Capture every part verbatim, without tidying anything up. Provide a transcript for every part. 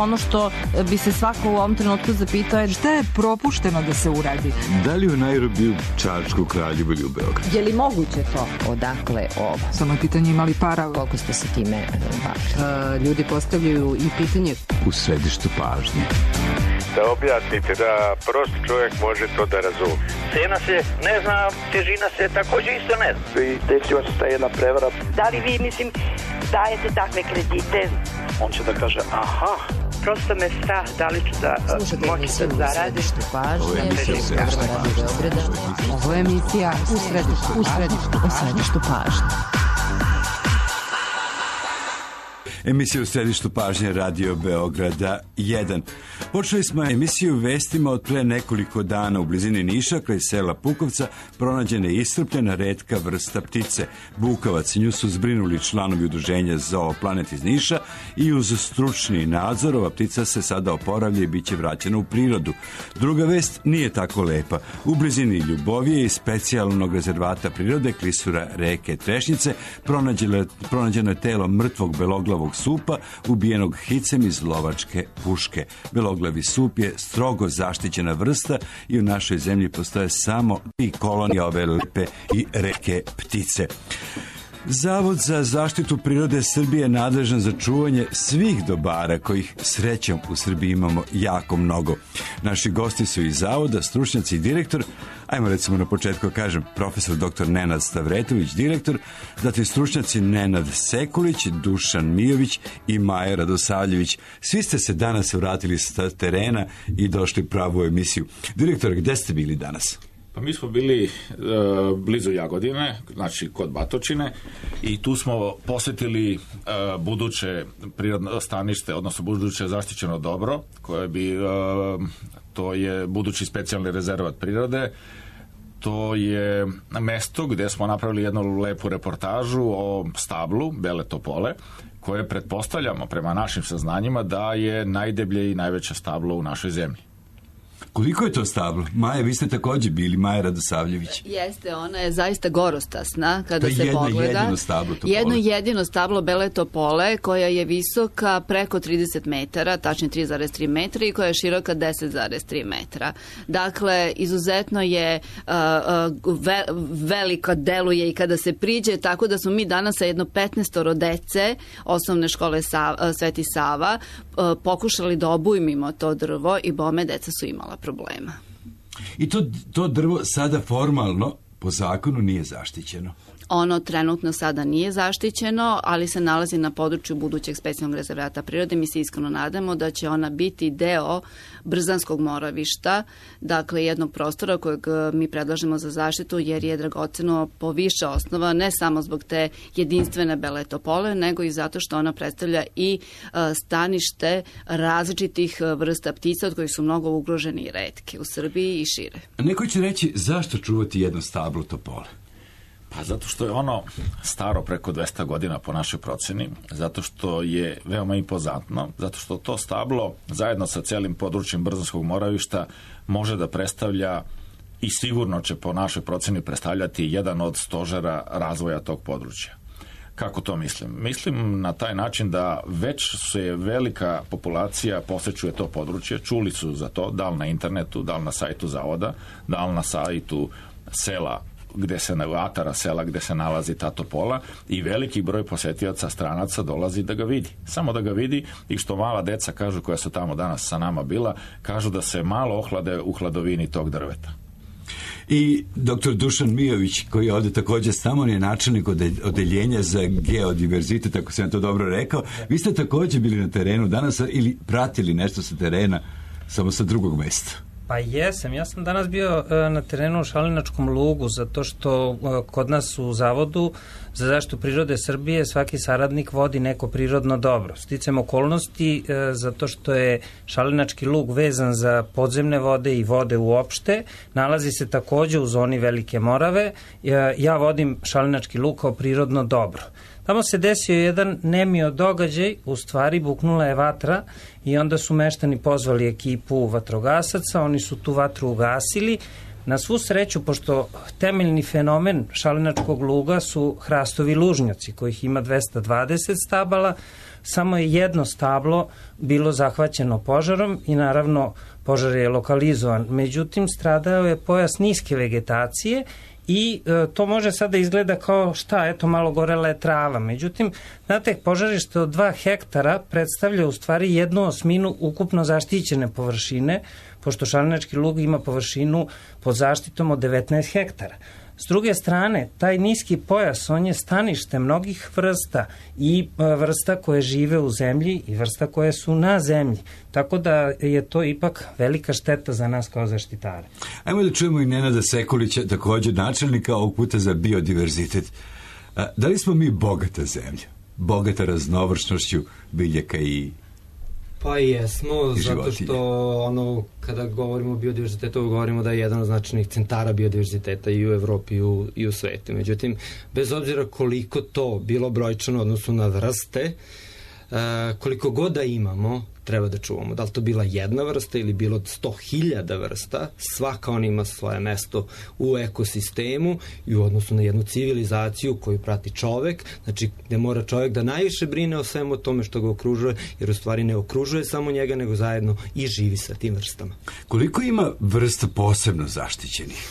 ono što bi se svako u ovom trenutku zapitao je šta je propušteno da se uradi. Da li u Nairobiju, Čačku, Kraljevu ili u Beogradu? Je li moguće to? Odakle ovo? Samo je pitanje imali para. Koliko ste se time bavili? Ljudi postavljaju i pitanje u središtu pažnje. Da objasnite da prost čovjek može to da razumije. Cena se ne zna, težina se također isto ne zna. I desila se ta jedna prevara. Da li vi, mislim, dajete takve kredite? On će da kaže aha. Prosto me strah da li ću da moći da zaradim. Ovo je emisija u središtu pažnje. Ovo je emisija u središtu, u središtu, u središtu pažnje. Emisija u središtu pažnje Radio Beograda jedan. Počeli smo emisiju vestima od pre nekoliko dana u blizini Niša, kraj sela Pukovca, pronađena je iscrpljena retka vrsta ptice. Bukavac, nju su zbrinuli članovi udruženja Zooplanet iz Niša i uz stručni nadzor ova ptica se sada oporavlja i bit će vraćena u prirodu. Druga vest nije tako lepa. U blizini Ljubovije i specijalnog rezervata prirode klisura reke Trešnjice pronađeno je telo mrtvog beloglavog supa ubijenog hicem iz lovačke puške. Beloglavi sup je strogo zaštićena vrsta i u našoj zemlji postoje samo i kolonije ove lepe i reke ptice. Zavod za zaštitu prirode Srbije je nadležan za čuvanje svih dobara kojih srećom u Srbiji imamo jako mnogo. Naši gosti su iz zavoda, stručnjaci i direktor, ajmo recimo na početku kažem profesor doktor Nenad Stavretović, direktor, zatim stručnjaci Nenad Sekulić, Dušan Mijović i Maja Radosavljević. Svi ste se danas vratili sa terena i došli pravu emisiju. Direktor, gde ste bili danas? Pa mi smo bili e, blizu Jagodine, znači kod Batočine, i tu smo posjetili e, buduće prirodno stanište, odnosno buduće zaštićeno dobro, koje bi, e, to je budući specijalni rezervat prirode. To je mesto gdje smo napravili jednu lepu reportažu o stablu Bele topole, koje pretpostavljamo prema našim saznanjima da je najdeblje i najveće stablo u našoj zemlji. Koliko je to stablo? Maja, vi ste također bili, Maja Radosavljević. Jeste, ona je zaista gorostasna kada se jedno pogleda. Jedino stablo topole. Jedno jedino stablo Bele topole koja je visoka preko trideset metara, tačnije tri zarez tri metra i koja je široka deset zarez tri metra. Dakle, izuzetno je uh, uh, ve, velika deluje i kada se priđe, tako da smo mi danas sa jedno petnaestoro dece osnovne škole Sa, uh, Sveti Sava uh, pokušali da obujmimo to drvo i bome deca su imala problema. I to, to drvo sada formalno po zakonu nije zaštićeno? Ono trenutno sada nije zaštićeno, ali se nalazi na području budućeg specijalnog rezervata prirode. Mi se iskreno nadamo da će ona biti deo Brzanskog moravišta, dakle jednog prostora kojeg mi predlažemo za zaštitu, jer je dragoceno po više osnova, ne samo zbog te jedinstvene Bele topole, nego i zato što ona predstavlja i stanište različitih vrsta ptica od kojih su mnogo ugroženi i retke u Srbiji i šire. Neko će reći zašto čuvati jedno stablo topole? Pa zato što je ono staro preko dvesta godina po našoj procjeni, zato što je veoma impozantno, zato što to stablo zajedno sa celim područjem Brzanskog moravišta može da predstavlja i sigurno će po našoj procjeni predstavljati jedan od stožera razvoja tog područja. Kako to mislim? Mislim na taj način da već se velika populacija posećuje to područje, čuli su za to, da li na internetu, da li na sajtu zavoda, da li na sajtu sela gde se atara sela gde se nalazi ta topola, i veliki broj posjetioca stranaca dolazi da ga vidi. Samo da ga vidi, i što mala deca kažu, koja su tamo danas sa nama bila, kažu da se malo ohlade u hladovini tog drveta. I doktor Dušan Mijović, koji je ovdje također s nama, on je načelnik odeljenja za geodiverzitet, ako sam to dobro rekao. Vi ste također bili na terenu danas ili pratili nešto sa terena, samo sa drugog mjesta? Pa jesam, ja sam danas bio e, na terenu u Šalinačkom lugu, zato što e, kod nas u Zavodu za zaštitu prirode Srbije svaki saradnik vodi neko prirodno dobro. Sticam okolnosti e, zato što je Šalinački lug vezan za podzemne vode i vode uopšte, nalazi se također u zoni Velike Morave. E, ja vodim Šalinački lug kao prirodno dobro. Tamo se desio jedan nemio događaj, u stvari buknula je vatra i onda su meštani pozvali ekipu vatrogasaca, oni su tu vatru ugasili, Na svu sreću, pošto temeljni fenomen šalinačkog luga su hrastovi lužnjaci, kojih ima dvesta dvadeset stabala, samo je jedno stablo bilo zahvaćeno požarom i naravno požar je lokalizovan. Međutim, stradao je pojas niske vegetacije i e, to može sada izgleda kao šta, eto malo gorela je trava. Međutim, znate, požarište od dva hektara predstavlja u stvari jednu osminu ukupno zaštićene površine, pošto šalinački lug ima površinu pod zaštitom od devetnaest hektara. S druge strane, taj niski pojas, on je stanište mnogih vrsta i vrsta koje žive u zemlji i vrsta koje su na zemlji. Tako da je to ipak velika šteta za nas kao zaštitare. Ajmo da čujemo i Nenada Sekulića, također načelnika, ovog puta za biodiverzitet. Da li smo mi bogata zemlja? Bogata raznovršnošću biljaka i Pa jesmo, zato što ono, kada govorimo o biodiverzitetu, govorimo da je jedan od značajnih centara biodiverziteta i u Evropi i u, i u svetu. Međutim, bez obzira koliko to bilo brojčano odnosu na vrste, koliko god da imamo, treba da čuvamo. Da li to bila jedna vrsta ili bilo sto hiljada vrsta, svaka ona ima svoje mesto u ekosistemu i u odnosu na jednu civilizaciju koju prati čovek, znači gde mora čovek da najviše brine o svemu tome što ga okružuje, jer u stvari ne okružuje samo njega, nego zajedno i živi sa tim vrstama. Koliko ima vrsta posebno zaštićenih?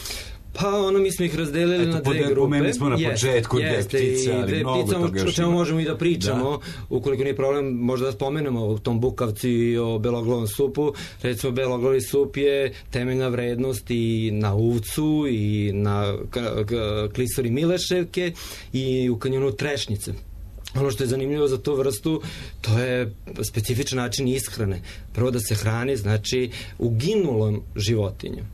Pa ono, mi smo ih razdelili Eto, na dve grupe. Pomenuli smo na početku dve ptice, ali mnogo toga još o čemu možemo i da pričamo. Da. Ukoliko nije problem, možda da spomenemo o tom bukavcu i o beloglavom supu. Recimo, beloglavi sup je temeljna vrednost i na uvcu i na klisori mileševke i u kanjonu trešnjice. Ono što je zanimljivo za tu vrstu, to je specifičan način ishrane. Prvo da se hrani, znači, uginulom životinjom.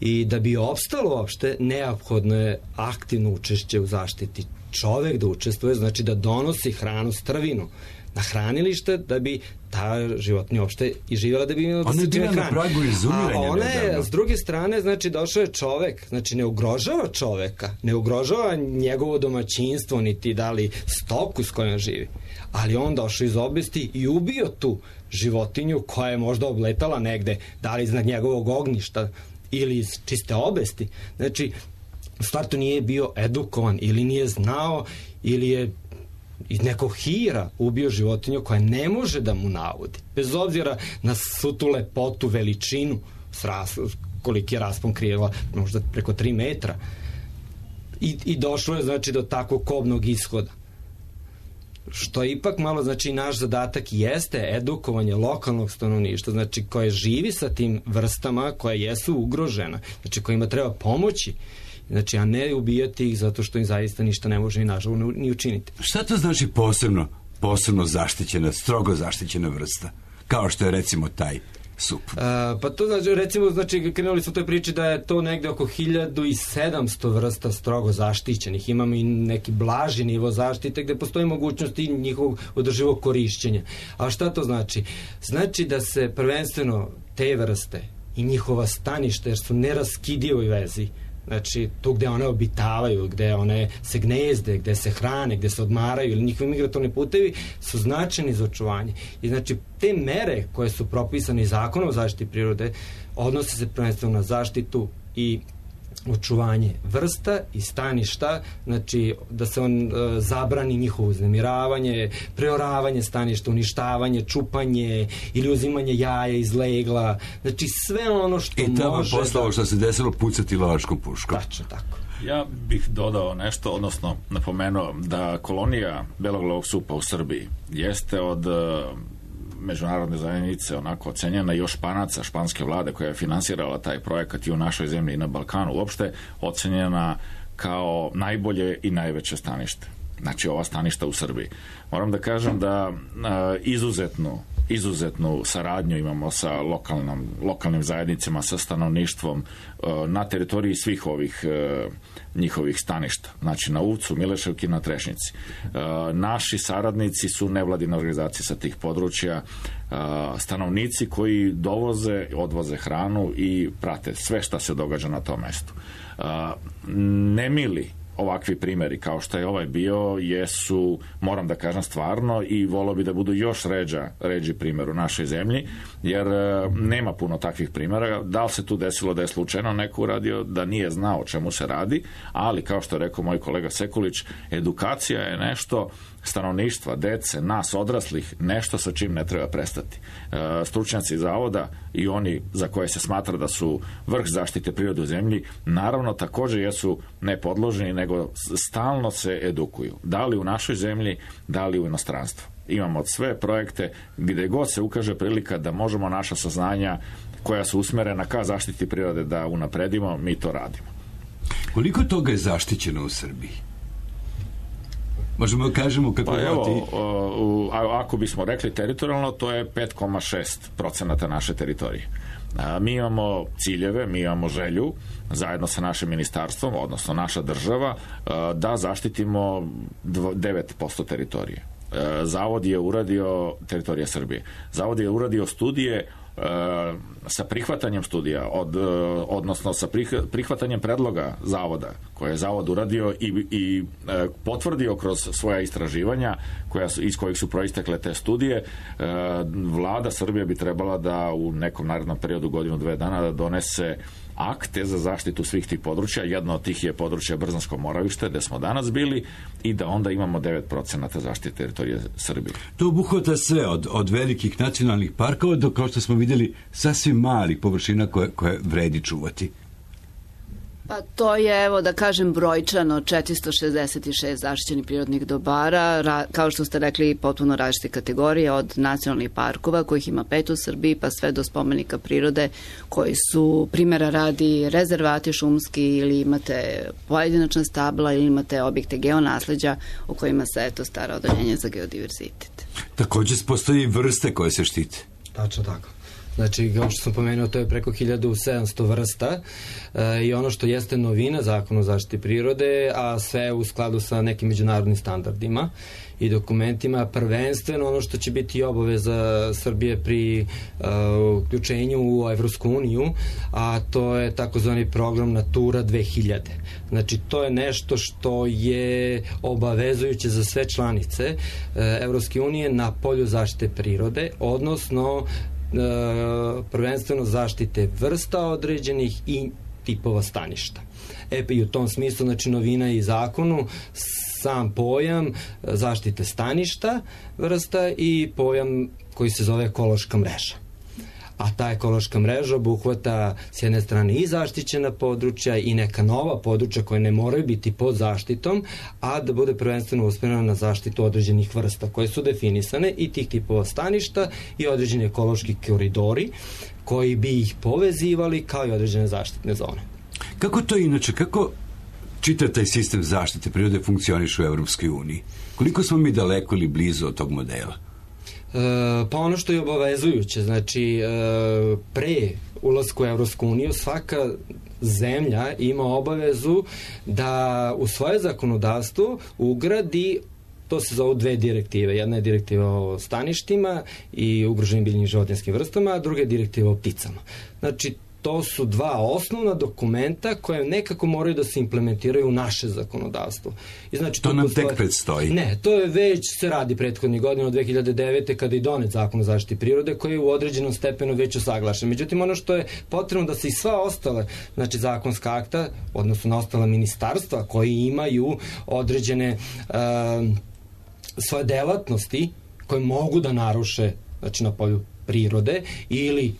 I da bi opstalo uopšte, neophodno je aktivno učešće u zaštiti. Čovek da učestvuje, znači da donosi hranu, strvinu na hranilište, da bi ta životinja uopšte i živjela, da bi imala da se čime hrani. Ona je bila na pragu izumiranja. A ona je, s druge strane, znači došao je čovek, znači ne ugrožava čoveka, ne ugrožava njegovo domaćinstvo, niti da li stoku s kojom živi. Ali on došao iz obesti i ubio tu životinju koja je možda obletala negde, da li iznad njegovog ognjišta, ili iz čiste obesti. Znači, u startu nije bio edukovan ili nije znao ili je iz nekog hira ubio životinju koja ne može da mu navodi. Bez obzira na svu tu lepotu, veličinu, koliki je raspon krila, možda preko tri metra. I, i došlo je, znači, do takvog kobnog ishoda. Što ipak malo, znači, naš zadatak jeste edukovanje lokalnog stanovništva, znači, koje živi sa tim vrstama koje jesu ugrožena, znači, kojima treba pomoći, znači, a ne ubijati ih zato što im zaista ništa ne može ni nažalost ni učiniti. Šta to znači posebno, posebno zaštićena, strogo zaštićena vrsta, kao što je recimo taj sup? A, pa to znači, recimo, znači, krenuli smo u toj priči da je to negde oko hiljadu sedamsto vrsta strogo zaštićenih. Imamo i neki blaži nivo zaštite gde postoji mogućnost i njihovog održivog korišćenja. A šta to znači? Znači da se prvenstveno te vrste i njihova staništa, jer su neraskidivoj vezi, znači tu gde one obitavaju, gde one se gnezde, gde se hrane, gde se odmaraju ili njihovi migratorni putevi su značajni za očuvanje. I znači te mere koje su propisane zakonom o zaštiti prirode odnose se prvenstveno na zaštitu i očuvanje vrsta i staništa, znači da se on e, zabrani njihovo uznemiravanje, preoravanje staništa, uništavanje, čupanje ili uzimanje jaja iz legla, znači sve ono što može... I tamo posle ovo što se desilo pucati lovačkom puškom. Tačno tako. Ja bih dodao nešto, odnosno napomenuo da kolonija beloglavog supa u Srbiji jeste od međunarodne zajednice onako ocenjena, još Španaca, španske vlade koja je finansirala taj projekat i u našoj zemlji i na Balkanu uopšte, ocenjena kao najbolje i najveće stanište. Znači ova staništa u Srbiji. Moram da kažem da a, izuzetnu izuzetnu saradnju imamo sa lokalnom, lokalnim zajednicama, sa stanovništvom a, na teritoriji svih ovih a, njihovih staništa. Znači na Uvcu, Mileševki, na Trešnjici. A, naši saradnici su nevladine organizacije sa tih područja, a, stanovnici koji dovoze, odvoze hranu i prate sve šta se događa na tom mestu. A, nemili ovakvi primjeri kao što je ovaj bio jesu, moram da kažem stvarno, i volio bi da budu još ređa, ređi primjer u našoj zemlji, jer e, nema puno takvih primjera. Da li se tu desilo da je slučajno neko uradio, da nije znao o čemu se radi, ali kao što je rekao moj kolega Sekulić, edukacija je nešto stanovništva, dece, nas odraslih, nešto sa čim ne treba prestati. E, stručnjaci zavoda i oni za koje se smatra da su vrh zaštite prirode u zemlji, naravno također jesu ne podloženi, nego stalno se edukuju. Da li u našoj zemlji, da li u inostranstvu. Imamo sve projekte gdje god se ukaže prilika da možemo naša saznanja koja su usmerena ka zaštiti prirode da unapredimo, mi to radimo. Koliko toga je zaštićeno u Srbiji? Možemo da kažemo kako pa evo, ti... ako bismo rekli teritorijalno, to je pet zarez šest procenata naše teritorije. A, mi imamo ciljeve, mi imamo želju zajedno sa našim ministarstvom, odnosno naša država, a, da zaštitimo devet posto teritorije. A, Zavod je uradio, teritorija Srbije, Zavod je uradio studije sa prihvatanjem studija, od, odnosno sa prihvatanjem predloga zavoda koje je zavod uradio i, i potvrdio kroz svoja istraživanja koja su, iz kojih su proistekle te studije. Vlada Srbije bi trebala da u nekom narednom periodu, godinu, dve dana, da donese akte za zaštitu svih tih područja. Jedno od tih je područje Brzansko Moravište, gde smo danas bili, i da onda imamo devet procenata zaštite teritorije Srbije. To obuhvata sve, od, od velikih nacionalnih parkova do, kao što smo vidjeli, sasvim malih površina koje, koje vredi čuvati. Pa to je, evo da kažem, brojčano četiristo šezdeset šest zaštićenih prirodnih dobara, ra, kao što ste rekli, potpuno različite kategorije, od nacionalnih parkova, kojih ima pet u Srbiji, pa sve do spomenika prirode, koji su, primjera radi, rezervati šumski, ili imate pojedinačna stabla, ili imate objekte geonasleđa o kojima se eto stara odeljenje za geodiverzitet. Također postoji vrste koje se štite. Tačno tako. Znači, kao što sam pomenuo, to je preko hiljadu sedamsto vrsta e, i ono što jeste novina Zakona o zaštiti prirode, a sve u skladu sa nekim međunarodnim standardima i dokumentima, prvenstveno ono što će biti obaveza Srbije pri e, uključenju u Evropsku uniju, a to je takozvani program Natura dve hiljade. Znači, to je nešto što je obavezujuće za sve članice e, Evropske unije na polju zaštite prirode, odnosno prvenstveno zaštite vrsta određenih i tipova staništa. E pa i u tom smislu, znači, novina je i zakonu sam pojam zaštite staništa vrsta i pojam koji se zove ekološka mreža. A ta ekološka mreža obuhvata s jedne strane i zaštićena područja i neka nova područja koje ne moraju biti pod zaštitom, a da bude prvenstveno usmjerena na zaštitu određenih vrsta koje su definisane i tih tipova staništa i određeni ekološki koridori koji bi ih povezivali, kao i određene zaštitne zone. Kako to inače, kako čitav taj sistem zaštite prirode funkcioniše u Evropskoj uniji? Koliko smo mi daleko ili blizu od tog modela? E, pa ono što je obavezujuće, znači e, pre ulasku u Evropsku uniju svaka zemlja ima obavezu da u svoje zakonodavstvo ugradi, to se zove dve direktive. Jedna je direktiva o staništima i ugroženim biljnim životinjskim vrstama, a druga je direktiva o pticama. Znači, to su dva osnovna dokumenta koje nekako moraju da se implementiraju u naše zakonodavstvo. I znači, to, to nam postoje... tek predstoji. Ne, to je već se radi prethodnih godina od dve hiljade devete kada je donet Zakon o zaštiti prirode koji je u određenom stepenu već usaglašen. Međutim, ono što je potrebno da se i sva ostale, znači zakonska akta, odnosno na ostala ministarstva koji imaju određene uh, svoje delatnosti koje mogu da naruše, znači, na polju prirode ili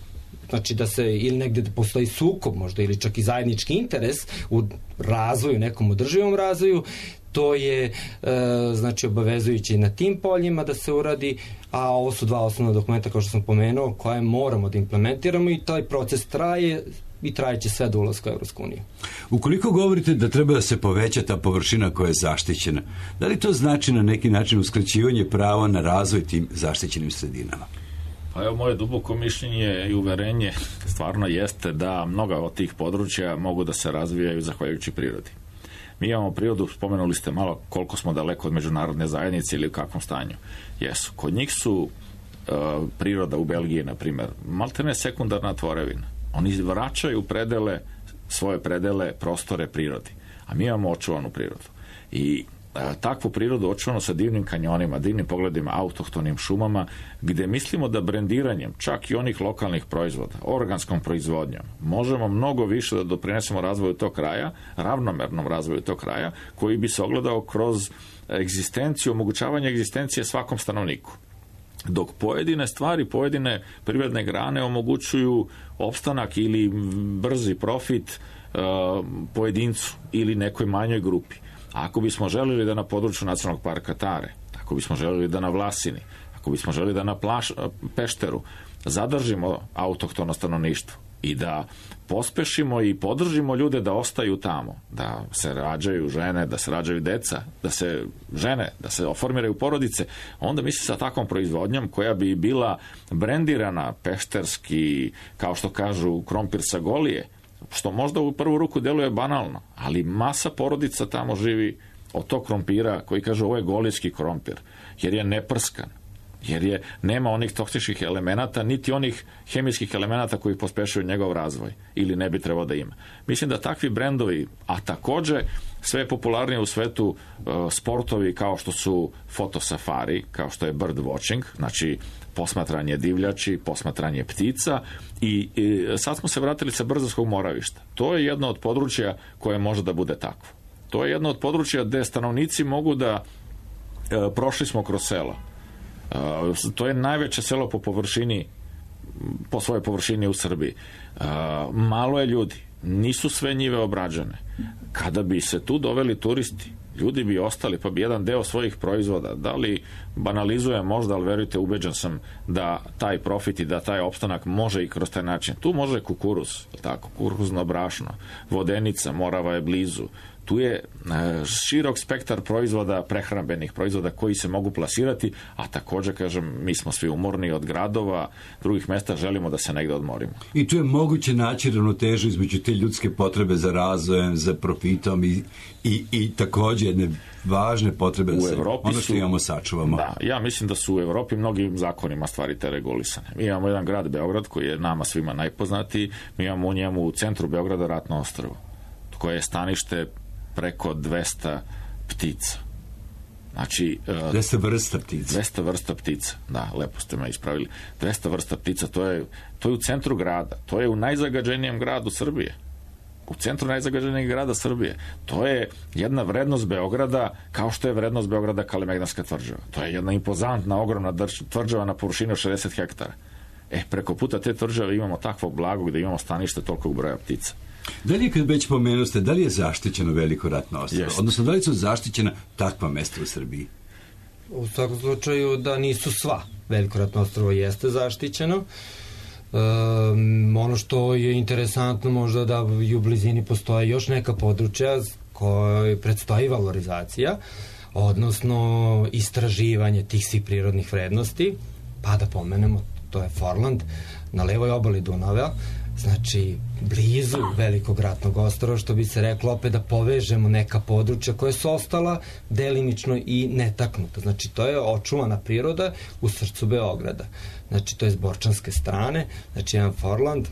znači da se ili negde da postoji sukob možda ili čak i zajednički interes u razvoju, nekom održivom razvoju, to je e, znači obavezujuće na tim poljima da se uradi, a ovo su dva osnovna dokumenta kao što sam pomenuo koje moramo da implementiramo i taj proces traje i trajeće sve do ulaska u Evropsku uniju. Ukoliko govorite da treba da se poveća ta površina koja je zaštićena, da li to znači na neki način uskraćivanje prava na razvoj tim zaštićenim sredinama? Pa evo, moje duboko mišljenje i uverenje stvarno jeste da mnoga od tih područja mogu da se razvijaju zahvaljujući prirodi. Mi imamo prirodu, spomenuli ste malo koliko smo daleko od međunarodne zajednice ili u kakvom stanju. Jesu. Kod njih su uh, priroda u Belgiji, na primjer, maltene sekundarna tvorevina. Oni vraćaju predele, svoje predele, prostore prirodi. a mi imamo očuvanu prirodu. I takvu prirodu očuvano sa divnim kanjonima, divnim pogledima, autohtonim šumama, gde mislimo da brendiranjem čak i onih lokalnih proizvoda, organskom proizvodnjom, možemo mnogo više da doprinesemo razvoju tog kraja, ravnomernom razvoju tog kraja, koji bi se ogledao kroz egzistenciju, omogućavanje egzistencije svakom stanovniku. Dok pojedine stvari, pojedine privredne grane omogućuju opstanak ili brzi profit uh, pojedincu ili nekoj manjoj grupi. Ako bismo želili da na području Nacionalnog parka Tare, ako bismo želili da na Vlasini, ako bismo želili da na Plaš, Pešteru zadržimo autohtono stanovništvo i da pospešimo i podržimo ljude da ostaju tamo, da se rađaju žene, da se rađaju deca, da se žene, da se oformiraju porodice, onda mislim sa takvom proizvodnjom koja bi bila brendirana pešterski, kao što kažu, krompir sa Golije, što možda u prvu ruku deluje banalno, ali masa porodica tamo živi od tog krompira koji kaže ovo je golijski krompir, jer je neprskan, jer je, nema onih toksičnih elemenata, niti onih hemijskih elemenata koji pospešuju njegov razvoj, ili ne bi trebao da ima. Mislim da takvi brendovi, a takođe sve je popularnije u svetu uh, sportovi kao što su fotosafari, kao što je bird watching, znači posmatranje divljači, posmatranje ptica i, i sad smo se vratili sa Brzanskog moravišta. To je jedno od područja koje može da bude takvo. To je jedno od područja gde stanovnici mogu da uh, prošli smo kroz selo. Uh, to je najveće selo po površini, po svojoj površini u Srbiji. Uh, malo je ljudi, nisu sve njive obrađene. Kada bi se tu doveli turisti, ljudi bi ostali, pa bi jedan deo svojih proizvoda, da li banalizujem možda, ali verujte, ubeđen sam da taj profit i da taj opstanak može i kroz taj način. Tu može kukuruz, tako, kukuruzno brašno, vodenica, Morava je blizu. Tu je e, širok spektar proizvoda, prehrambenih proizvoda koji se mogu plasirati, a takođe, kažem, mi smo svi umorni od gradova, drugih mesta, želimo da se negde odmorimo. I tu je moguće naći ravnotežu između te ljudske potrebe za razvojem, za profitom i, i, i takođe jedne važne potrebe da se ono što imamo sačuvamo. Da, ja mislim da su u Evropi mnogim zakonima stvari te regulisane. Mi imamo jedan grad Beograd koji je nama svima najpoznatiji, mi imamo u njemu u centru Beograda Ratno ostrvo, koje je stanište preko dvesta ptica. Znači... dvesta vrsta ptica. dvesta vrsta ptica, da, lepo ste me ispravili. dvesta vrsta ptica, to je, to je u centru grada, to je u najzagađenijem gradu Srbije. U centru najzagađenijeg grada Srbije. To je jedna vrednost Beograda, kao što je vrednost Beograda Kalemegdanska tvrđava. To je jedna impozantna, ogromna tvrđava na površini od šezdeset hektara. E, preko puta te tvrđave imamo takvo blago gde imamo stanište tolikog broja ptica. Da li je, kad već pomenuste, da li je zaštićeno Veliko Ratno ostrvo? Yes. Odnosno, da li su zaštićena takva mesta u Srbiji? U svakom slučaju da nisu sva. Veliko Ratno ostrvo jeste zaštićeno. Um, ono što je interesantno možda da i u blizini postoje još neka područja koje predstoji valorizacija, odnosno istraživanje tih svih prirodnih vrednosti, pa da pomenemo, to je Forland na levoj obali Dunava, znači blizu Velikog Ratnog ostrva, što bi se reklo opet da povežemo neka područja koje su ostala delimično i netaknuta. Znači to je očuvana priroda u srcu Beograda. Znači to je s borčanske strane, znači jedan Forland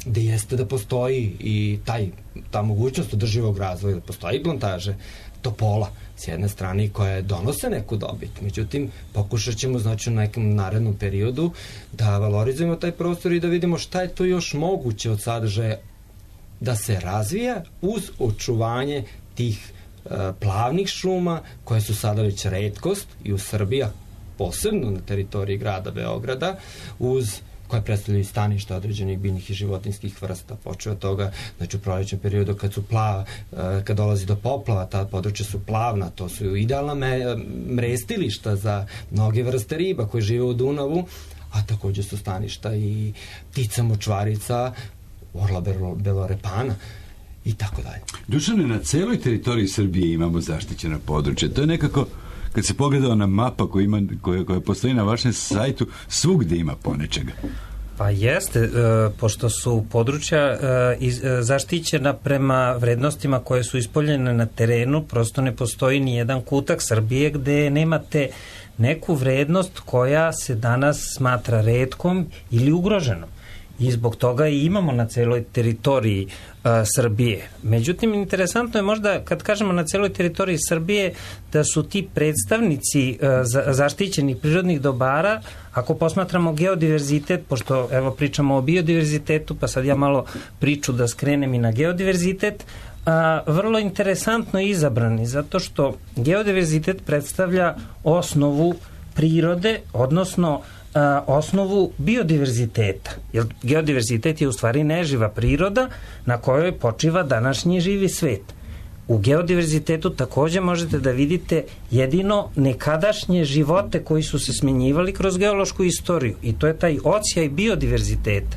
gde jeste da postoji i taj, ta mogućnost održivog razvoja, da postoji plantaže topola s jedne strane koje donose neku dobit. Međutim, pokušat ćemo znači u nekom narednom periodu da valorizujemo taj prostor i da vidimo šta je to još moguće od sadržaja da se razvija uz očuvanje tih uh, plavnih šuma koje su sada već retkost i u Srbiji, posebno na teritoriji grada Beograda, uz koje predstavljaju staništa određenih biljnih i životinskih vrsta, počeo od toga, znači u prolećnom periodu kad su plava, kad dolazi do poplava, ta područja su plavna, to su idealna me, mrestilišta za mnoge vrste riba koje žive u Dunavu, a takođe su staništa i ptica močvarica, orla belorepana i tako dalje. Dušane, na celoj teritoriji Srbije imamo zaštićena područja. To je nekako, kad se pogledao na mapa koja, ima, koja, koja postoji na vašem sajtu, svugde ima ponečega. Pa jeste, e, pošto su područja e, iz, e, zaštićena prema vrednostima koje su ispoljene na terenu, prosto ne postoji ni jedan kutak Srbije gde nemate neku vrednost koja se danas smatra retkom ili ugroženom. i zbog toga i imamo na celoj teritoriji a, Srbije. Međutim, interesantno je možda kad kažemo na celoj teritoriji Srbije da su ti predstavnici a, za, zaštićenih prirodnih dobara, ako posmatramo geodiverzitet, pošto evo pričamo o biodiverzitetu, pa sad ja malo priču da skrenem i na geodiverzitet, a, vrlo interesantno izabrani, zato što geodiverzitet predstavlja osnovu prirode, odnosno a, osnovu biodiverziteta. Jer geodiverzitet je u stvari neživa priroda na kojoj počiva današnji živi svet. U geodiverzitetu takođe možete da vidite jedino nekadašnje živote koji su se smenjivali kroz geološku istoriju i to je taj odsjaj biodiverziteta.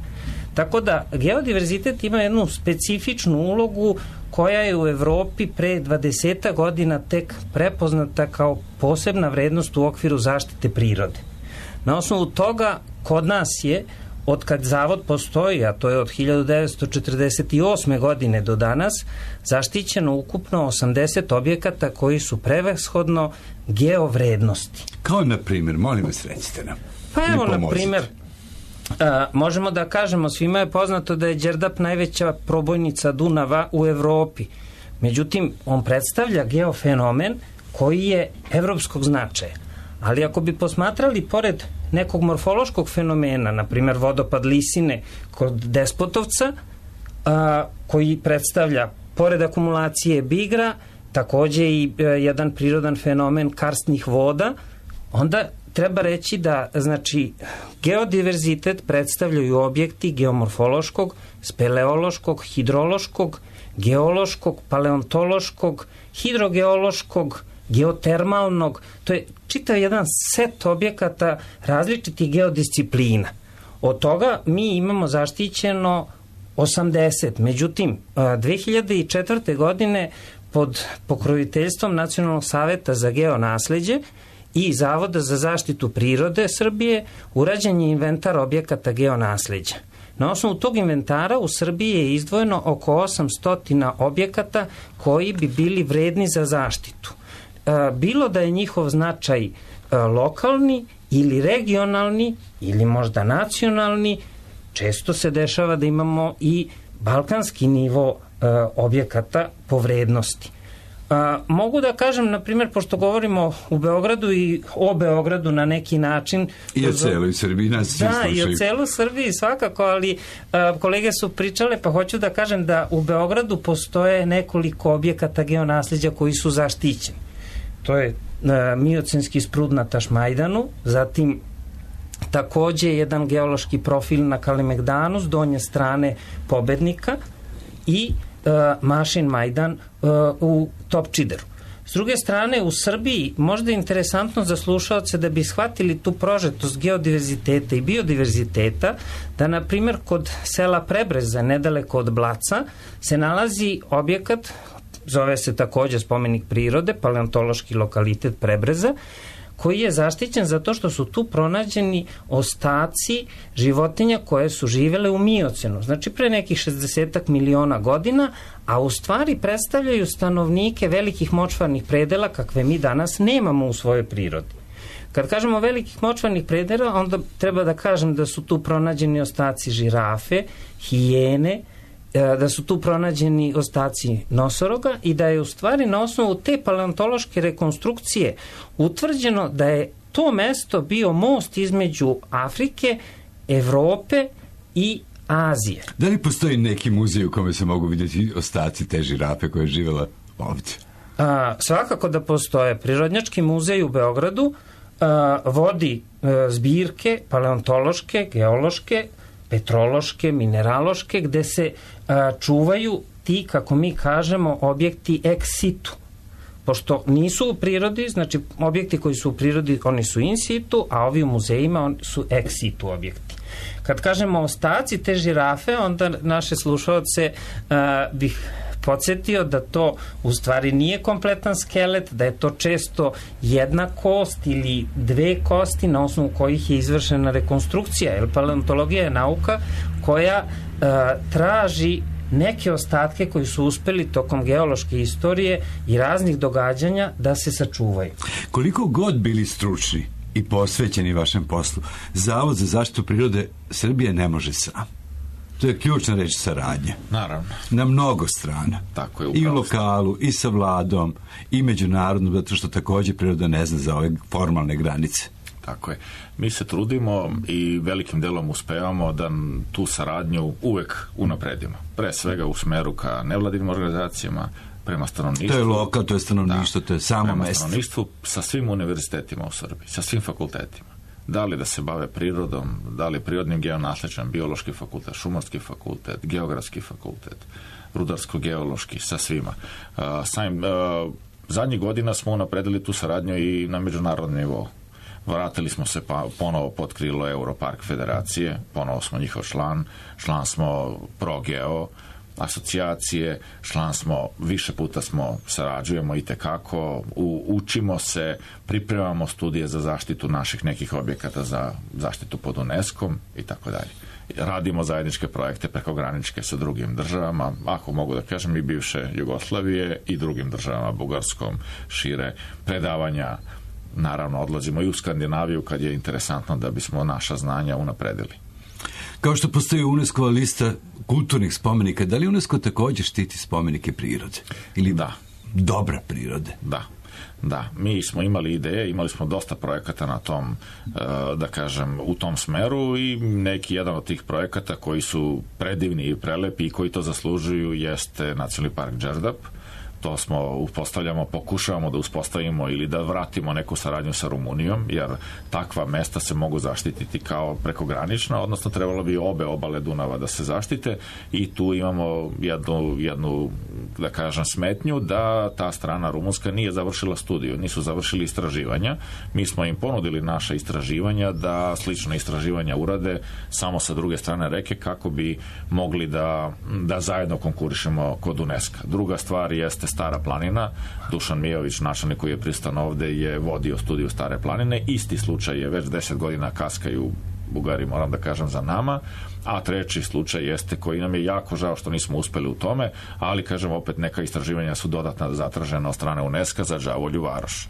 Tako da geodiverzitet ima jednu specifičnu ulogu koja je u Evropi pre dvadeset godina tek prepoznata kao posebna vrednost u okviru zaštite prirode. Na osnovu toga kod nas je, od kad zavod postoji, a to je od hiljadu devetsto četrdeset osme godine do danas, zaštićeno ukupno osamdeset objekata koji su prevashodno geovrednosti. Kao na primjer, molim vas recite nam. Pa evo na primjer, a, možemo da kažemo, svima je poznato da je Đerdap najveća probojnica Dunava u Evropi. Međutim, on predstavlja geofenomen koji je evropskog značaja. Ali ako bi posmatrali pored nekog morfološkog fenomena, na primjer vodopad Lisine kod Despotovca, a, koji predstavlja, pored akumulacije bigra, takođe i a, jedan prirodan fenomen karstnih voda, onda treba reći da, znači, geodiverzitet predstavljaju objekti geomorfološkog, speleološkog, hidrološkog, geološkog, paleontološkog, hidrogeološkog, geotermalnog, to je čitav jedan set objekata različitih geodisciplina. Od toga mi imamo zaštićeno osamdeset. Međutim, dve hiljade četvrte. godine pod pokroviteljstvom Nacionalnog saveta za geonasleđe i Zavoda za zaštitu prirode Srbije urađen je inventar objekata geonasleđa. Na osnovu tog inventara u Srbiji je izdvojeno oko osamsto objekata koji bi bili vredni za zaštitu. Bilo da je njihov značaj lokalni ili regionalni ili možda nacionalni, često se dešava da imamo i balkanski nivo objekata po vrednosti. Mogu da kažem, na primjer, pošto govorimo u Beogradu i o Beogradu na neki način... I o celoj Srbiji nas svi slušaju. Da, i o celoj Srbiji svakako, ali a, kolege su pričale, pa hoću da kažem da u Beogradu postoje nekoliko objekata geonasleđa koji su zaštićeni. To je a, miocenski sprud na Tašmajdanu, zatim takođe jedan geološki profil na Kalemegdanu s donje strane Pobednika i uh, Mašin Majdan uh, u Topčideru. S druge strane, u Srbiji možda je interesantno za slušaoce da bi shvatili tu prožetost geodiverziteta i biodiverziteta, da na primjer kod sela Prebreza, nedaleko od Blaca, se nalazi objekat, zove se takođe spomenik prirode, paleontološki lokalitet Prebreza, koji je zaštićen zato što su tu pronađeni ostaci životinja koje su živele u miocenu, znači pre nekih šezdeset miliona godina, a u stvari predstavljaju stanovnike velikih močvarnih predela kakve mi danas nemamo u svojoj prirodi. Kad kažemo velikih močvarnih predela, onda treba da kažem da su tu pronađeni ostaci žirafe, hijene, da su tu pronađeni ostaci nosoroga i da je u stvari na osnovu te paleontološke rekonstrukcije utvrđeno da je to mesto bio most između Afrike, Evrope i Azije. Da li postoji neki muzej u kome se mogu vidjeti ostaci te žirafe koja je živjela ovdje? A, svakako da postoje. Prirodnjački muzej u Beogradu a, vodi a, zbirke paleontološke, geološke, petrološke, mineraloške, gde se a, čuvaju ti, kako mi kažemo, objekti ex situ. Pošto nisu u prirodi, znači objekti koji su u prirodi, oni su in situ, a ovi u muzejima oni su ex situ objekti. Kad kažemo ostaci te žirafe, onda naše slušaoce a, bih podsjetio da to u stvari nije kompletan skelet, da je to često jedna kost ili dve kosti na osnovu kojih je izvršena rekonstrukcija, jer paleontologija je nauka koja uh, traži neke ostatke koji su uspeli tokom geološke istorije i raznih događanja da se sačuvaju. Koliko god bili stručni i posvećeni vašem poslu, Zavod za zaštitu prirode Srbije ne može sam. To je ključna reč saradnja. Naravno. Na mnogo strana. Tako je, I u lokalu, i sa vladom, i međunarodno, zato što također priroda ne zna za ove formalne granice. Tako je. Mi se trudimo i velikim delom uspevamo da tu saradnju uvek unapredimo. Pre svega u smeru ka nevladinim organizacijama, prema stanovništvu. To je lokal, to je stanovništvo, da, to je samo prema mesto. Stanovništvu sa svim univerzitetima u Srbiji, sa svim fakultetima. Da li da se bave prirodom, da li prirodnim geonasleđem, biološki fakultet, šumarski fakultet, geografski fakultet, rudarsko-geološki, sa svima. Uh, samim, uh, zadnjih godina smo unapredili tu saradnju i na međunarodnom nivou. Vratili smo se pa ponovo pod krilo Europark federacije, ponovo smo njihov član, član smo ProGeo asocijacije, član smo, više puta smo sarađujemo i tekako, u, učimo se, pripremamo studije za zaštitu naših nekih objekata za zaštitu pod UNESCO-om i tako dalje. Radimo zajedničke projekte prekograničke sa drugim državama, ako mogu da kažem i bivše Jugoslavije i drugim državama, Bugarskom, šire, predavanja. Naravno, odlazimo i u Skandinaviju kad je interesantno da bismo naša znanja unapredili. Kao što postoji UNESCO-va lista kulturnih spomenika, da li UNESCO također štiti spomenike prirode? Ili da. Dobra prirode? Da. Da, mi smo imali ideje, imali smo dosta projekata na tom, da kažem, u tom smeru i neki jedan od tih projekata koji su predivni i prelepi i koji to zaslužuju jeste Nacionalni park Đerdap. To smo uspostavljamo, pokušavamo da uspostavimo ili da vratimo neku saradnju sa Rumunijom, jer takva mesta se mogu zaštititi kao prekogranična, odnosno trebalo bi obe obale Dunava da se zaštite i tu imamo jednu, jednu da kažem, smetnju da ta strana rumunska nije završila studiju, nisu završili istraživanja. Mi smo im ponudili naša istraživanja da slična istraživanja urade samo sa druge strane reke kako bi mogli da, da zajedno konkurišemo kod UNESCO. Druga stvar jeste Stara planina. Dušan Mijović, načelnik koji je pristan ovde, je vodio studiju Stare planine. Isti slučaj je već deset godina kaskaju Bugari, moram da kažem, za nama. A treći slučaj jeste koji nam je jako žao što nismo uspeli u tome, ali kažem opet neka istraživanja su dodatno zatražena od strane UNESCO za Đavolju varoš.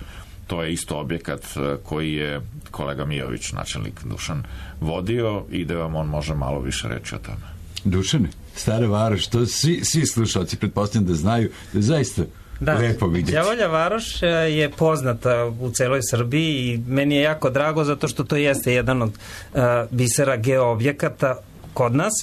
To je isto objekat koji je kolega Mijović, načelnik Dušan, vodio i da vam on može malo više reći o tome. Dušane, Stara Varoš, to svi, svi slušalci pretpostavljam da znaju, da je zaista da, lepo vidjeti. Đavolja varoš je poznata u celoj Srbiji i meni je jako drago zato što to jeste jedan od uh, bisera geoobjekata kod nas.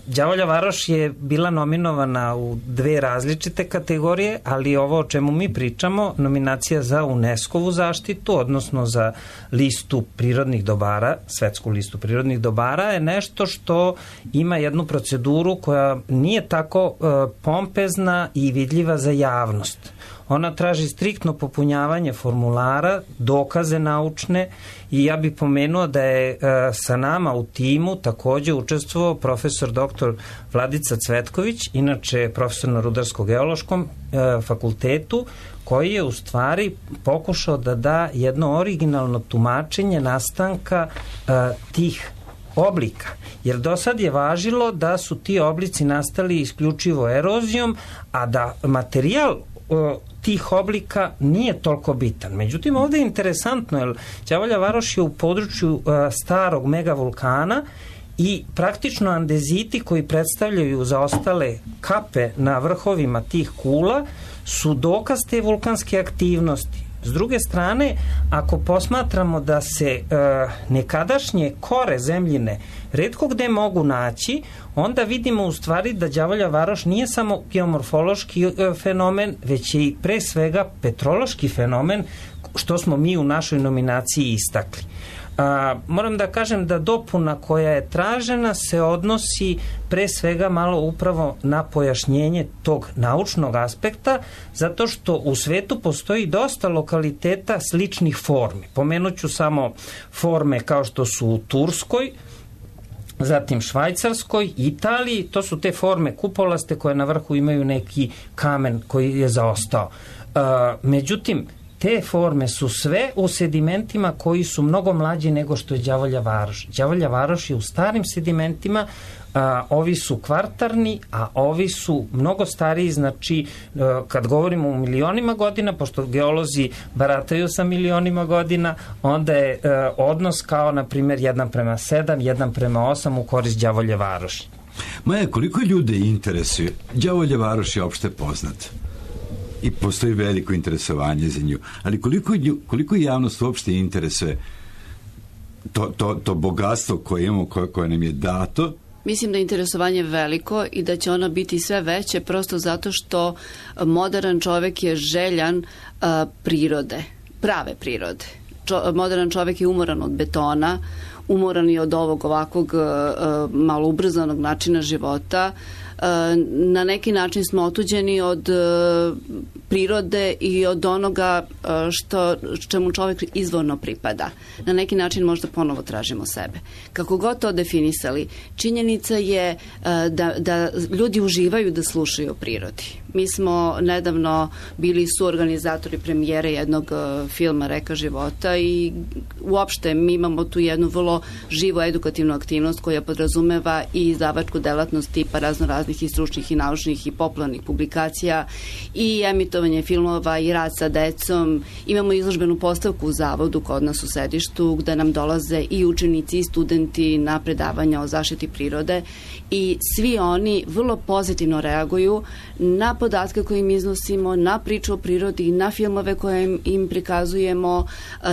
Đavolja varoš je bila nominovana u dve različite kategorije, ali ovo o čemu mi pričamo, nominacija za UNESCO-vu zaštitu, odnosno za listu prirodnih dobara, svetsku listu prirodnih dobara, je nešto što ima jednu proceduru koja nije tako uh, pompezna i vidljiva za javnost. Ona traži striktno popunjavanje formulara, dokaze naučne i ja bih pomenuo da je e, sa nama u timu takođe učestvovao profesor doktor Vladica Cvetković, inače profesor na Rudarsko-geološkom e, fakultetu, koji je u stvari pokušao da da jedno originalno tumačenje nastanka e, tih oblika. Jer do sad je važilo da su ti oblici nastali isključivo erozijom, a da materijal tih oblika nije toliko bitan. Međutim, ovde je interesantno, jer Đavolja varoš je u području uh, starog megavulkana i praktično andeziti koji predstavljaju zaostale kape na vrhovima tih kula su dokaz te vulkanske aktivnosti. S druge strane, ako posmatramo da se uh, nekadašnje kore zemljine retko gde mogu naći, onda vidimo u stvari da Đavolja varoš nije samo geomorfološki uh, fenomen, već je i pre svega petrološki fenomen, što smo mi u našoj nominaciji istakli. A, moram da kažem da dopuna koja je tražena se odnosi pre svega malo upravo na pojašnjenje tog naučnog aspekta, zato što u svetu postoji dosta lokaliteta sličnih formi. Pomenuću samo forme kao što su u Turskoj, zatim Švajcarskoj, Italiji, to su te forme kupolaste koje na vrhu imaju neki kamen koji je zaostao. A, međutim, te forme su sve u sedimentima koji su mnogo mlađi nego što je Đavolja Varoš. Đavolja Varoš je u starim sedimentima, a, ovi su kvartarni, a ovi su mnogo stariji, znači a, kad govorimo o milionima godina, pošto geolozi barataju sa milionima godina, onda je a, odnos kao, na primjer, jedan prema sedam, jedan prema osam u korist Đavolje Varoši. Maja, koliko ljude interesuje? Đavolja Varoš je opšte poznat i postoji veliko interesovanje za nju, ali koliko, koliko javnost uopšte interesuje to, to, to bogatstvo koje imamo, koje, koje nam je dato? Mislim da je interesovanje veliko i da će ono biti sve veće prosto zato što modern čovek je željan a, prirode, prave prirode. Čo, modern čovek je umoran od betona, umoran i od ovog ovakvog a, malo ubrzanog načina života. Na neki način smo otuđeni od prirode i od onoga što, čemu čovjek izvorno pripada. Na neki način možda ponovo tražimo sebe. Kako god to definisali, činjenica je da, da ljudi uživaju da slušaju o prirodi. Mi smo nedavno bili suorganizatori premijere jednog filma Reka života i uopšte mi imamo tu jednu vrlo živu edukativnu aktivnost koja podrazumeva i izdavačku delatnost tipa razno raznih i stručnih i naučnih i popularnih publikacija i emitovanje filmova i rad sa decom. Imamo izložbenu postavku u zavodu kod nas u sedištu gde nam dolaze i učenici i studenti na predavanja o zaštiti prirode i svi oni vrlo pozitivno reaguju na podatke koje im iznosimo, na priču o prirodi, na filmove koje im prikazujemo,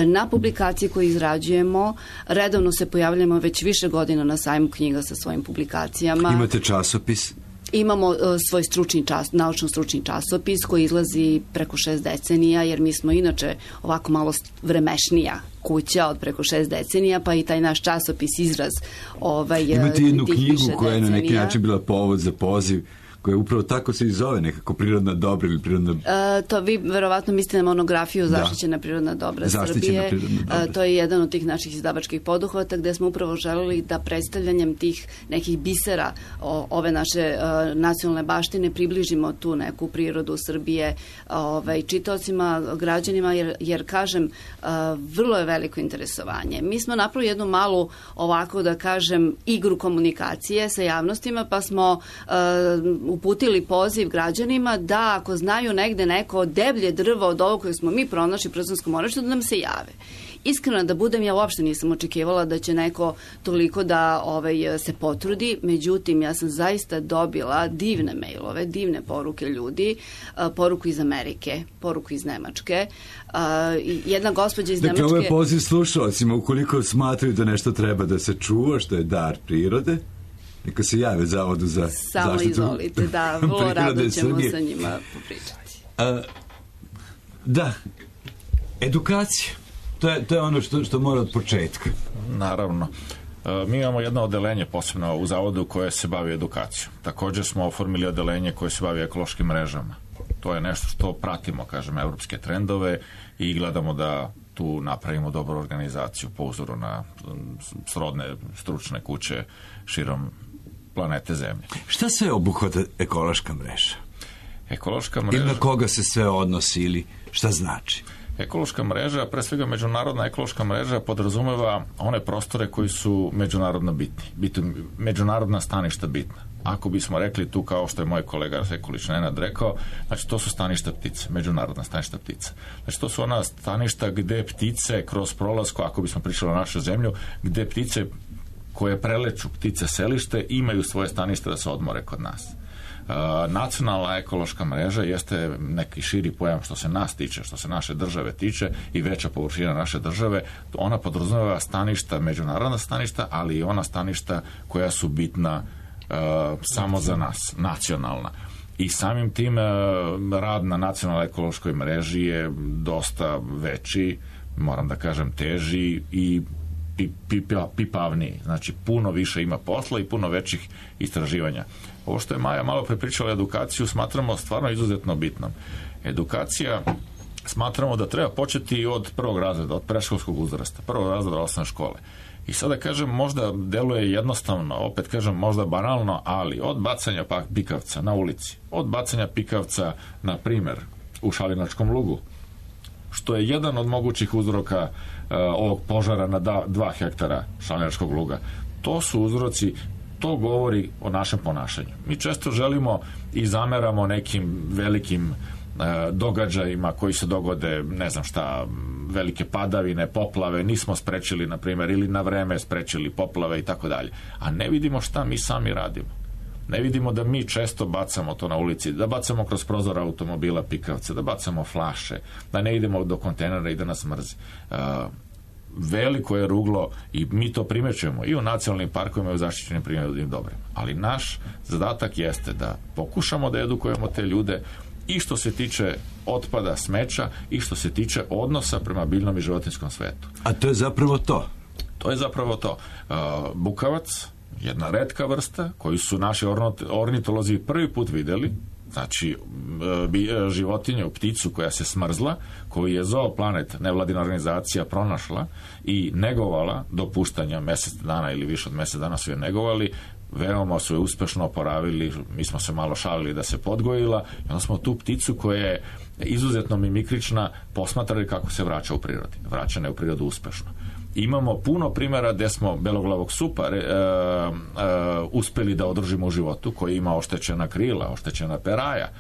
na publikacije koje izrađujemo. Redovno se pojavljamo već više godina na sajmu knjiga sa svojim publikacijama. Imate časopis? Imamo uh, svoj stručni čas, naučno-stručni časopis koji izlazi preko šest decenija, jer mi smo inače ovako malo vremešnija kuća od preko šest decenija, pa i taj naš časopis izraz ovaj, imate jednu knjigu koja je na neki decenija. način bila povod za poziv, koja upravo tako se i zove, nekako prirodna dobra ili prirodna... E, to vi verovatno mislite na monografiju Zaštićena da. prirodna dobra Zaštićena Srbije. Prirodna dobra. E, to je jedan od tih naših izdavačkih poduhvata gde smo upravo želeli da predstavljanjem tih nekih bisera o, ove naše e, nacionalne baštine približimo tu neku prirodu Srbije ovaj, čitaocima, građanima, jer, jer kažem, e, vrlo je veliko interesovanje. Mi smo napravili jednu malu, ovako da kažem, igru komunikacije sa javnostima, pa smo e, uputili poziv građanima da ako znaju negde neko deblje drvo od ovog koje smo mi pronašli u Przanskom moravištu, da nam se jave. Iskreno da budem, ja uopšte nisam očekivala da će neko toliko da ovaj, se potrudi, međutim ja sam zaista dobila divne mailove, divne poruke ljudi, poruku iz Amerike, poruku iz Nemačke. Jedna gospođa iz Nemačke... Dakle, ovo je poziv slušalcima, ukoliko smatraju da nešto treba da se čuva, što je dar prirode, neka se jave Zavodu za Samo zaštitu Samo izvolite, da, vrlo rado ćemo Srbije. Sa njima popričati. A, da, edukacija, to je, to je ono što, što mora od početka. Naravno. E, mi imamo jedno odelenje posebno u Zavodu koje se bavi edukacijom. Također smo oformili odelenje koje se bavi ekološkim mrežama. To je nešto što pratimo, kažem, evropske trendove i gledamo da tu napravimo dobru organizaciju po uzoru na srodne stručne kuće širom planete Zemlje. Šta sve obuhvata ekološka mreža? Ekološka mreža... Ili na koga se sve odnosi ili šta znači? Ekološka mreža, pre svega međunarodna ekološka mreža podrazumeva one prostore koji su međunarodno bitni. Bitu, međunarodna staništa bitna. Ako bismo rekli tu kao što je moj kolega Sekulić Nenad rekao, znači to su staništa ptice, međunarodna staništa ptica. Znači to su ona staništa gde ptice kroz prolazku, ako bismo pričali o našoj zemlju, gde ptice koje preleću ptice selište imaju svoje stanište da se odmore kod nas. Uh, nacionalna ekološka mreža jeste neki širi pojam što se nas tiče, što se naše države tiče i veća površina naše države. Ona podrazumeva staništa, međunarodna staništa, ali i ona staništa koja su bitna uh, samo za nas, nacionalna. I samim tim uh, rad na nacionalnoj ekološkoj mreži je dosta veći, moram da kažem teži i pipavniji. Znači puno više ima posla i puno većih istraživanja. Ovo što je Maja malo prepričala edukaciju smatramo stvarno izuzetno bitnom. Edukacija smatramo da treba početi od prvog razreda, od predškolskog uzrasta, prvog razreda osnovne škole. I sada kažem, možda deluje jednostavno, opet kažem, možda banalno, ali od bacanja pikavca na ulici, od bacanja pikavca, na primer, u Šalinačkom lugu, što je jedan od mogućih uzroka uh, ovog požara na da, dva hektara šalinačkog luga. To su uzroci, to govori o našem ponašanju. Mi često želimo i zameramo nekim velikim uh, događajima koji se dogode, ne znam šta, velike padavine, poplave, nismo sprečili, na primjer, ili na vreme sprečili poplave i tako dalje. A ne vidimo šta mi sami radimo. Ne vidimo da mi često bacamo to na ulici, da bacamo kroz prozor automobila pikavce, da bacamo flaše, da ne idemo do kontejnera i da nas mrzi. Uh, veliko je ruglo i mi to primećujemo i u nacionalnim parkovima i u zaštićenim prirodnim dobrima. Ali naš zadatak jeste da pokušamo da edukujemo te ljude i što se tiče otpada, smeća i što se tiče odnosa prema biljnom i životinjskom svetu. A to je zapravo to? To je zapravo to. Uh, bukavac, jedna retka vrsta koju su naši ornitolozi prvi put videli, znači životinju, pticu koja se smrzla, koju je Zooplanet, nevladina organizacija, pronašla i negovala do puštanja mesec dana ili više od mesec dana su je negovali, veoma su je uspešno oporavili, mi smo se malo šalili da se podgojila i onda smo tu pticu koja je izuzetno mimikrična posmatrali kako se vraća u prirodi. Vraćana je u prirodu uspešno. Imamo puno primjera gde smo beloglavog supa e, e, uspeli da održimo u životu, koji ima oštećena krila, oštećena peraja, e,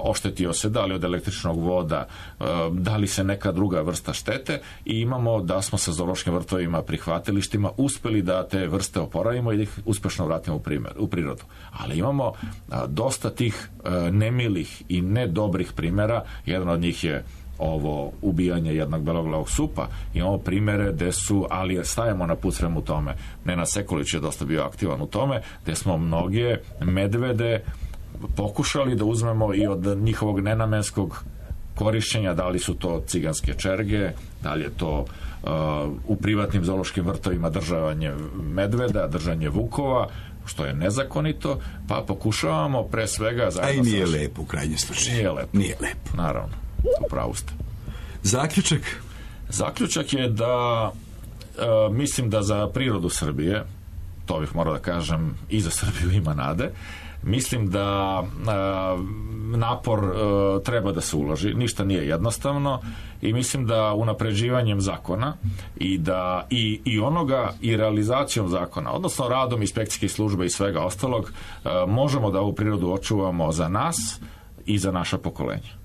oštetio se da li od električnog voda, e, da li se neka druga vrsta štete i imamo da smo sa zoološkim vrtovima, prihvatilištima uspeli da te vrste oporavimo i da ih uspešno vratimo u, primjer, u prirodu. Ali imamo a, dosta tih a, nemilih i nedobrih primjera, jedan od njih je ovo ubijanje jednog beloglavog supa. Imamo primere gde su, ali stajemo na put svemu tome. Nenad Sekulić je dosta bio aktivan u tome, gde smo mnoge medvede pokušali da uzmemo i od njihovog nenamenskog korišćenja, da li su to ciganske čerge, da li je to uh, u privatnim zoološkim vrtovima državanje medveda, držanje vukova, što je nezakonito, pa pokušavamo pre svega... A i nije sa... lepo u krajnjem slučaju. Nije lepo. Nije lepo. Naravno. Upravo ste. Zaključak? Zaključak je da e, mislim da za prirodu Srbije, to bih morao da kažem, i za Srbiju ima nade, mislim da e, napor e, treba da se uloži, ništa nije jednostavno i mislim da unapređivanjem zakona i da i, i onoga i realizacijom zakona, odnosno radom inspekcijskih službe i svega ostalog, e, možemo da ovu prirodu očuvamo za nas i za naša pokolenja.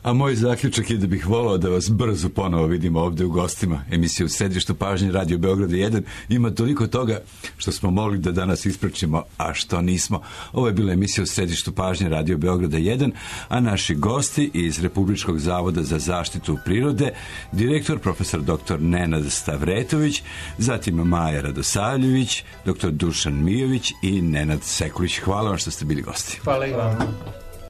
A moj zaključak je da bih volao da vas brzo ponovo vidimo ovde u gostima. Emisija u središtu pažnje Radio Beograda jedan ima toliko toga što smo mogli da danas ispraćimo, a što nismo. Ovo je bila emisija u središtu pažnje Radio Beograda jedan, a naši gosti iz Republičkog zavoda za zaštitu prirode, direktor profesor doktor Nenad Stavretović, zatim Maja Radosavljević, doktor Dušan Mijović i Nenad Sekulić. Hvala vam što ste bili gosti. Hvala i vam.